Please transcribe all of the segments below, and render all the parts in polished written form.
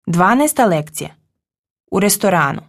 12. lekcija. U restoranu.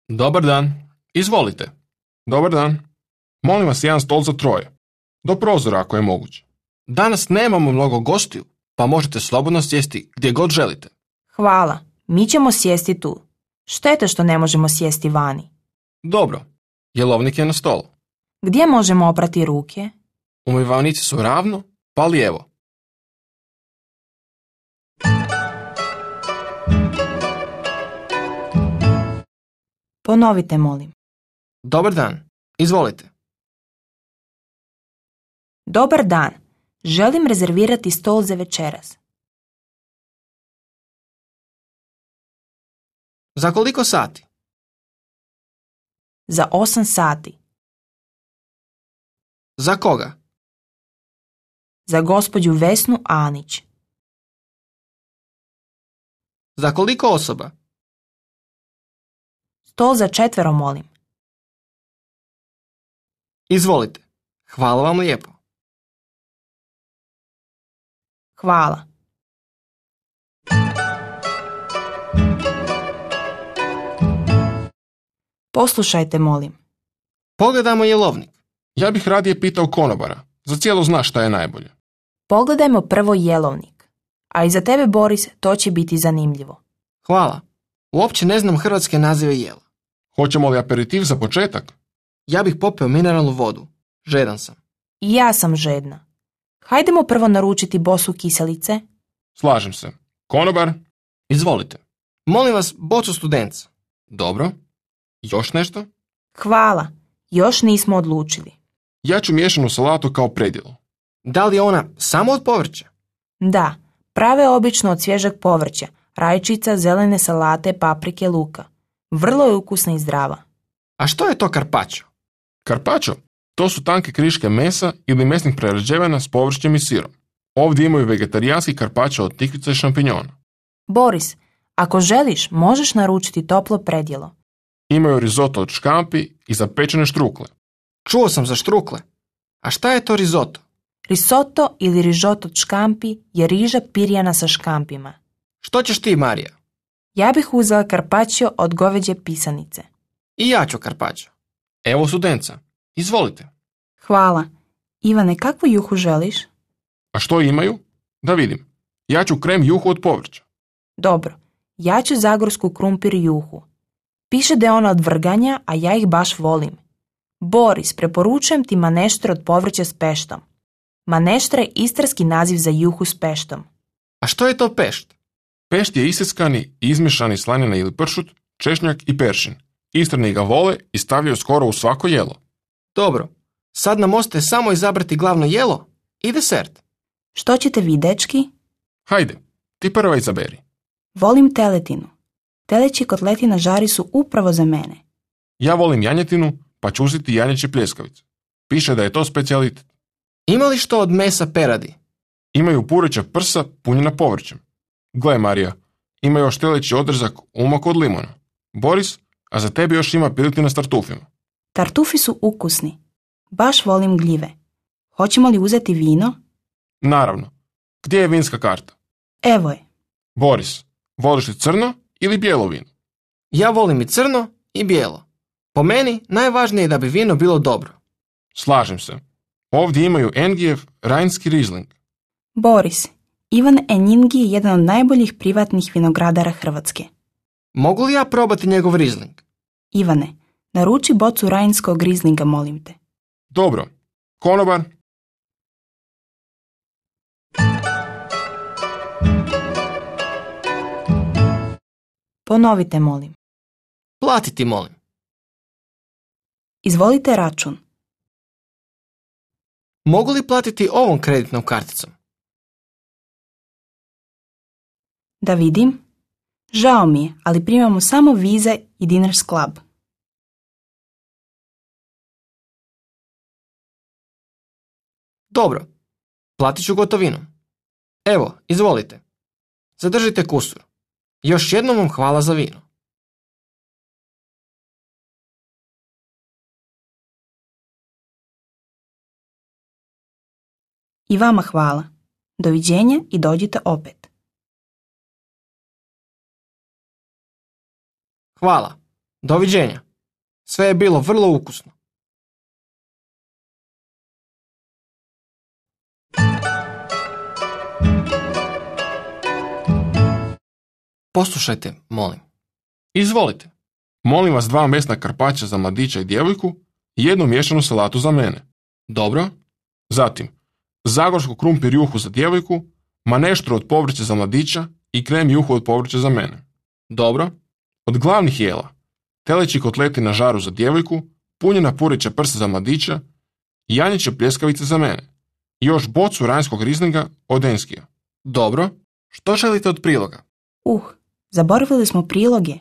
Dobar dan, izvolite. Dobar dan. Molim vas jedan stol za troje. Do prozora ako je moguće. Danas nemamo mnogo gostiju, pa možete slobodno sjesti gdje god želite. Hvala, mi ćemo sjesti tu. Šteta što ne možemo sjesti vani. Dobro, jelovnik je na stolu. Gdje možemo oprati ruke? Umivaonici su ravno, pa lijevo. Ponovite, molim. Dobar dan, izvolite. Dobar dan, želim rezervirati stol za večeras. Za koliko sati? Za 8 sati. Za koga? Za gospođu Vesnu Anić. Za koliko osoba? Stol za 4, molim. Izvolite. Hvala vam lijepo. Hvala. Poslušajte, molim. Pogledajmo jelovnik. Ja bih radije pitao konobara. Za cijelo zna šta je najbolje. Pogledajmo prvo jelovnik. A i za tebe, Boris, to će biti zanimljivo. Hvala. Uopće ne znam hrvatske nazive jela. Hoćemo li aperitiv za početak? Ja bih popio mineralnu vodu. Žedan sam. I ja sam žedna. Hajdemo prvo naručiti bosu kiselice. Slažem se. Konobar? Izvolite. Molim vas, bocu studenca. Dobro. Još nešto? Hvala. Još nismo odlučili. Ja ću miješanu salatu kao predjelo. Da li je ona samo od povrća? Da, prave obično od svježeg povrća, rajčica, zelene salate, paprike, luka. Vrlo je ukusna i zdrava. A što je to carpaccio? Carpaccio? To su tanke kriške mesa ili mesnih prerađevina s povrćem i sirom. Ovdje imaju vegetarijanski carpaccio od tikvica i šampinjona. Boris, ako želiš, možeš naručiti toplo predjelo. Imaju risotto od škampi i zapečene štrukle. Čuo sam za štrukle. A šta je to risotto? Risotto ili rižot od škampi je riža pirjana sa škampima. Što ćeš ti, Marija? Ja bih uzela carpaccio od goveđe pisanice. I ja ću carpaccio. Evo studenca. Izvolite. Hvala. Ivane, kakvu juhu želiš? A što imaju? Da vidim. Ja ću krem juhu od povrća. Dobro. Ja ću zagorsku krumpir juhu. Piše da je ona od vrganja, a ja ih baš volim. Boris, preporučujem ti maneštre od povrća s peštom. Maneštra je istarski naziv za juhu s peštom. A što je to pešt? Pešt je iseckani i izmješani slanina ili pršut, češnjak i peršin. Istrani ga vole i stavljaju skoro u svako jelo. Dobro. Sad nam ostaje samo izabrati glavno jelo i desert. Što ćete vi, dečki? Hajde, ti prva izaberi. Volim teletinu. Teleći kotleti na žari su upravo za mene. Ja volim janjetinu, pa ću uzeti janjeće pljeskavice. Piše da je to specijalitet. Ima li što od mesa peradi? Imaju pureća prsa punjena povrćem. Gle, Marija, ima još teleći odrezak umak od limona. Boris, a za tebe još ima piletina s tartufima. Tartufi su ukusni. Baš volim gljive. Hoćemo li uzeti vino? Naravno. Gdje je vinska karta? Evo je. Boris, voliš li crno ili bijelo vino? Ja volim i crno i bijelo. Po meni najvažnije je da bi vino bilo dobro. Slažem se. Ovdje imaju Engijev Rajnski Riesling. Boris, Ivan Enjingi je jedan od najboljih privatnih vinogradara Hrvatske. Mogu li ja probati njegov Riesling? Ivane, naruči bocu rajnskog Rieslinga, molim te. Dobro. Konobar? Ponovite, molim. Platiti, molim. Izvolite račun. Mogu li platiti ovom kreditnom karticom? Da vidim. Žao mi je, ali primamo samo Visa i Diners Club. Dobro, platit ću gotovinom. Evo, izvolite. Zadržite kusur. Još jednom vam hvala za vino. I vama hvala. Doviđenja i dođite opet. Hvala. Doviđenja. Sve je bilo vrlo ukusno. Poslušajte, molim. Izvolite. Molim vas 2 mesna karpaća za mladića i djevojku i 1 miješanu salatu za mene. Dobro. Zatim, zagorsku krumpir juhu za djevojku, maneštru od povrća za mladića i krem juhu od povrća za mene. Dobro. Od glavnih jela, teleći kotleti na žaru za djevojku, punjena pureća prsa za mladića i janjeće pljeskavice za mene. I još bocu ranjskog rizlinga od Enskija. Dobro. Što želite od priloga? Zaboravili smo priloge.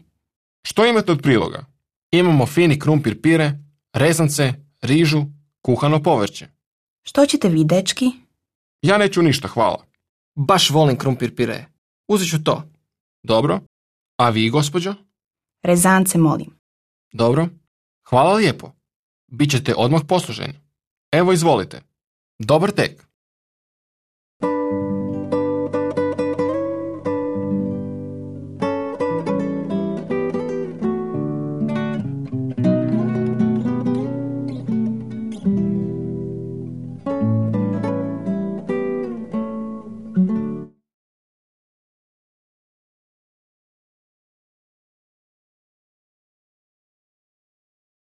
Što imate od priloga? Imamo fini krumpir pire, rezance, rižu, kuhano povrće. Što ćete vi, dečki? Ja neću ništa, hvala. Baš volim krumpir pire. Uzet ću to. Dobro. A vi, gospođo? Rezance, molim. Dobro. Hvala lijepo. Bićete odmah posluženi. Evo, izvolite. Dobar tek.